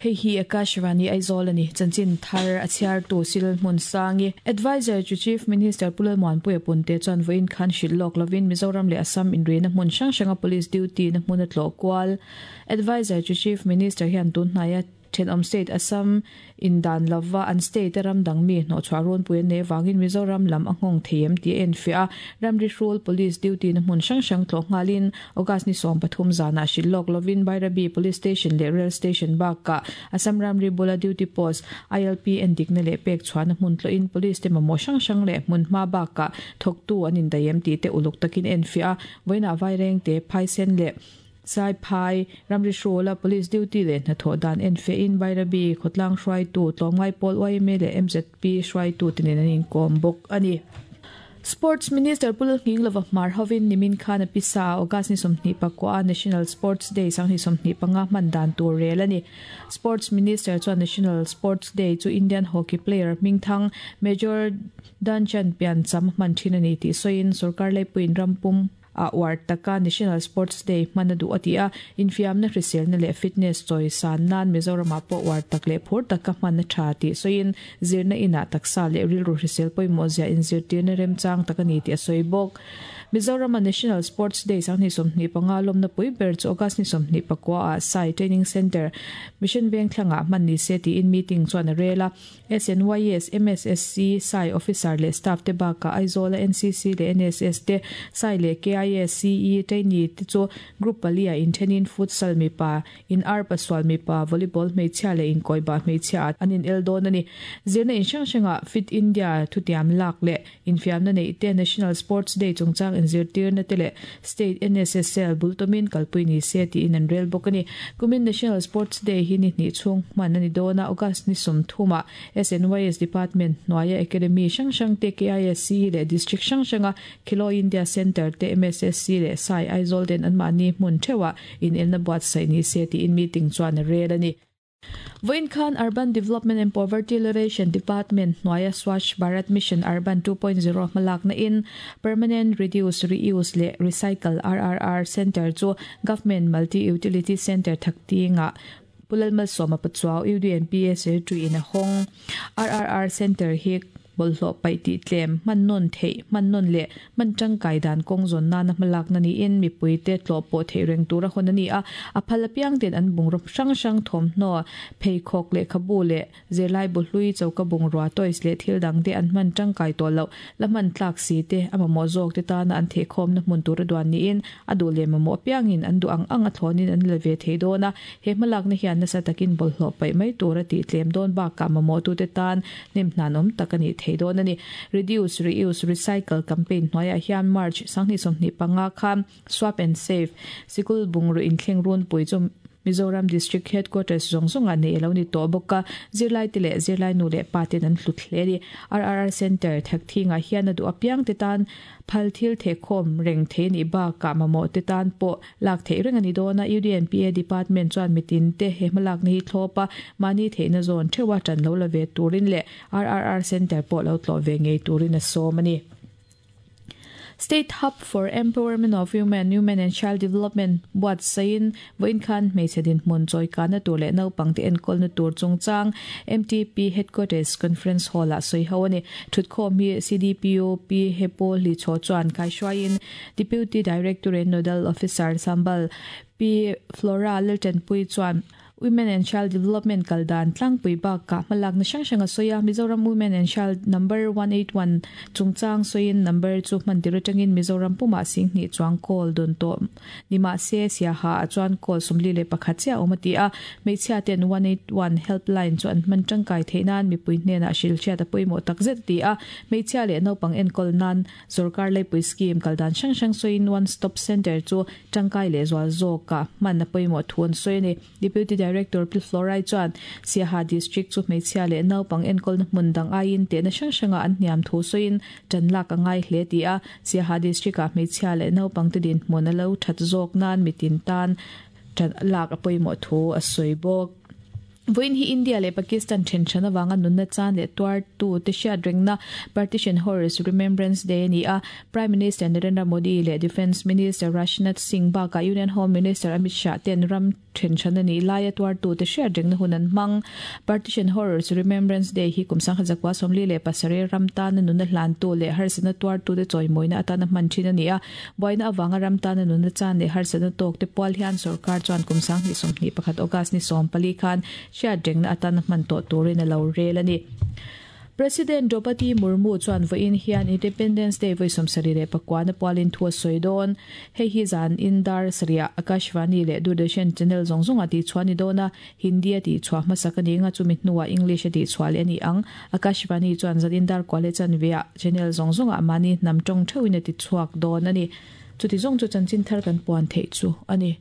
Hei hi Akashvani Aizawl a ni. Chanchin thar a chhiartu Cyril Hmunsangi, Adviser chu Chief Minister Pu Lalmuanpuia Punte chuan vawiin khan hrilh lawk lovin Mizoram leh Assam inrihna hmun hrang hranga Police duty na hmun a tlawh kual. Adviser chu Chief Minister hian tun hnaia thenawm state Assam in dan lova an state a ram dang mi hnawhchhuah runpui an neih avangin Mizoram lam a nghawng thei em tih a enfiah a. Ramri hrul Police duty na hmun hrang hrang tlawh nghalin August ni 13 zanah hrilh lawk lovin Bairabi Police Station leh Rail Station bakah Assam ramri bula duty post ILP endikna leh pek chhuahna hmun tlawhin Police te mamawh hrang hrang leh hmunhma bakah thawktu an indaih em tih te uluk takin enfiah a, vawiinah Vairengte, Phaisen leh Saiphai, ramri hrula Police duty leh hnathawh dan enfiahin Bairabi khawtlang hruaitu, tlawmngai pawl yma leh MZP hruaitute nen an inkawm bawk a ni. Sports Minister Pu Lalnghinglova Hmar hovin nimin khan a pisa a August ni 29 a National Sports Day 2025 hman dan tur rel a ni. Sports Minister chuan National Sports Day chu Indian hockey player hmingthang Major Dhanchan piancham hman thin a ni tih sawiin sorkar leipuiin rampum a uar taka National Sports Day hman a duh a ti a, infiamna hriselna leh fitness chawi san nan Mizoramah pawh uar tak leh phur taka hman a tha tih sawiin zirna inah taksa leh rilru hrisel pawimawh zia inzirtirna remchang tak a ni tih a sawi bawk. Mizorama National Sports Day 2025 lawmna pui ber chu August ni 29 ah Sai Training Centre, Mission Vengthlangah hman ni se tiin meeting chuan a rel a. SNYS, MSSC, sai officer leh staff te bakah Aizawla NCC leh NSS te, sai leh KISCE trainee te chu group pali ah inthenin futsal mipa, in arpa sual mipa, volleyball hmeichhia leh inkawibah hmeichhia ah an inel dawn a ni. Zirna in hrang hrangah Fit India thutiam lak leh infiamna neih te, National Sports Day chungchang inzirtirna te leh State NSSL bul tawmin kalpui ni se tiin an rel bawk a ni. Kumin National Sports Day hi ni hnih chhung hman a ni dawn a, August ni 30 ah SNYS Department hnuaia Academy hrang hrang te, KISC leh District hrang hranga Khelo India Centre te, MSSC leh SAI Aizawl ten anmahni hmun theuhah inelna buatsaih ni se tiin meeting chuan a rel a ni. Vawiin khan Urban Development and Poverty Alleviation Department hnuaia Swachh Bharat Mission Urban 2.0 hmalakna in Permanent Reduce, Reuse leh Recycle, RRR, Centre chu Government Multi Utility Centre Thaktingah Pu Lalmalsawma Pachuau, UDNPA Secretary in a hawng. RRR Centre hi Bawlhhlawh paih tih tlem, hman nawn theih, hman nawn leh hman tangkai dan kawng zawn nana hmalakna niin mipuite tlawh pawh theih reng tura hawn a ni a. A phal apiang ten an bungraw hrang hrang thawmhnaw, pheikhawk, lehkhabu leh zirlai bu hlui, choka bungrua, toys leh thil dang te an hman tangkai tawh loh, la hman tlak si te, a mamawh zawk te tana an thehkhawmna hmun tura duan niin a duh leh mamawh apiangin an duh ang ang a thlawnin an la ve thei dawn a. He hmalakna hian nasa takin bawlhhlawh paih mai tura tih tlem dawn bakah mamawhtute tan hnem hnan awm tak a nih thei dawn a ni. Reduce, Reuse, Recycle campaign hnuaiah hian March 2025 khan Swap and Save sikul bungraw inthleng runpui chu Mizoram District Headquarters zawng zawngah neih a lo ni tawh bawk a, zirlaite leh zirlai nu leh pa ten an hlut hle a ni. RRR Centre Thakthingah hian a duh apiangte tan phal thil thehkhawm reng thei a nih bakah mamawhte tan pawh Lak theih reng a ni dawn a, UDNPA Department chuan mitin te he hmalakna hi thlawp a, mahni theihna zawn theuha tan lo la ve turin leh RRR Centre pawh lo tlawh ve ngei turin a sawm a ni. State Hub for Empowerment of Women, Women and Child Development buatsaihin vawiin khan hmeichhe dinhmun chawikahna tur leh naupangte enkawlna tur chungchang MTP Headquarters Conference Hall-ah sawi ho a ni. Thutkhawm hi CDPO Pi Hepo Hlichhaw chuan kaihruaiin Deputy Directorate Nodal Officer Sambal Pi Flora Laltanpui chuan Women and Child Development kal dan tlangpui bakah hmalakna hrang hrang a sawi a. Mizoram Women and Child Number 181 chungchang sawiin number chu hman tir atangin Mizoram pumah 2000 chuang call dawn tawh ni mahse Siaha ah chuan call 41 chiah a awm a ti a. Hmeichhia ten 181 helpline chu an hman tangkai theih nan mipui hnenah hrilhhriat a pawimawh takzet a ti a. Hmeichhia leh naupang enkawl nan Sorkar leipui scheme kal dan hrang hrang sawiin One Stop Centre chu tangkai leh zual zawkah hman a pawimawh thu an sawi a ni. Deputy Director Pi Florai chuan Siaha District chu hmeichhia leh naupang enkawlna hmun dang aiin tehna hrang hrangah an hniam thu sawiin tan lak a ngai hle ti a, Siaha District-ah hmeichhia leh naupangte dinhmun a lo that zawk nan mitin tan tan lak a pawimawh thu a sawi bawk. Vawiin hi India leh Pakistan then hran avanga nunna chan leh tuartu te hriat rengna Partition Horrors Remembrance Day a ni a. Prime Minister Narendra Modi leh Defence Minister Rajnath Singh bakah Union Home Minister Amit Shah ten ram then hran a nih laia tuartu te hriat rengna hun an hmang. Partition Horrors Remembrance Day hi kum 1947 ram tana nunna hlantu leh harsatna tuartu te chawimawina atana hman thin a ni a. Buaina avanga ram tana nunna chan leh harsatna tawk te pual hian sorkar chuan kum 2021 August ni 14 khan hriat rengna atana hman tawh turin a lo rel a ni. President Draupadi Murmu chuan vawiin hian Independence Day vawi 79 na pualin thu a sawi dawn. Hei hi zan in dar sarih Akashvani leh Doordarshan channel zawng zawng ah tihchhuah a ni dawn a, Hindi a tihchhuah hmasak a ni anga chumi hnuah English a tihchhuah leh a ni ang. Akashvani chuan zan in dar kua leh chanve ah channel zawng zawng ah mahni hnam tawng theuhin a tichhuak dawn a ni. Chuti zawng chu chanchin thar kan puan theih chu a ni.